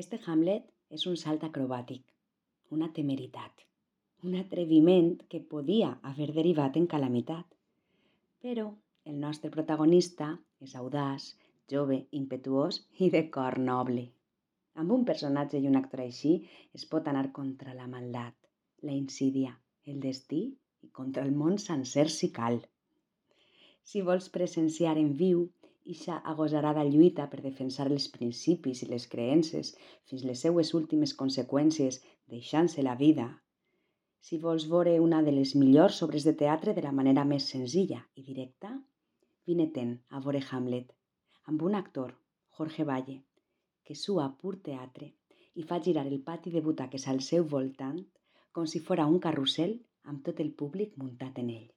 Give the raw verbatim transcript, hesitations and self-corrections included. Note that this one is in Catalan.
Este Hamlet és un salt acrobàtic, una temeritat, un atreviment que podia haver derivat en calamitat. Però el nostre protagonista és audaç, jove, impetuós i de cor noble. Amb un personatge i un actor així es pot anar contra la maldat, la insídia, el destí i contra el món sencer si cal. Si vols presenciar en viu ixa agosarada lluita per defensar els principis i les creences fins les seues últimes conseqüències deixant-se la vida, si vols veure una de les millors obres de teatre de la manera més senzilla i directa, vine-te'n a veure Hamlet, amb un actor, Jorge Valle, que sua pur teatre i fa girar el pati de butaques al seu voltant com si fora un carrusel amb tot el públic muntat en ell.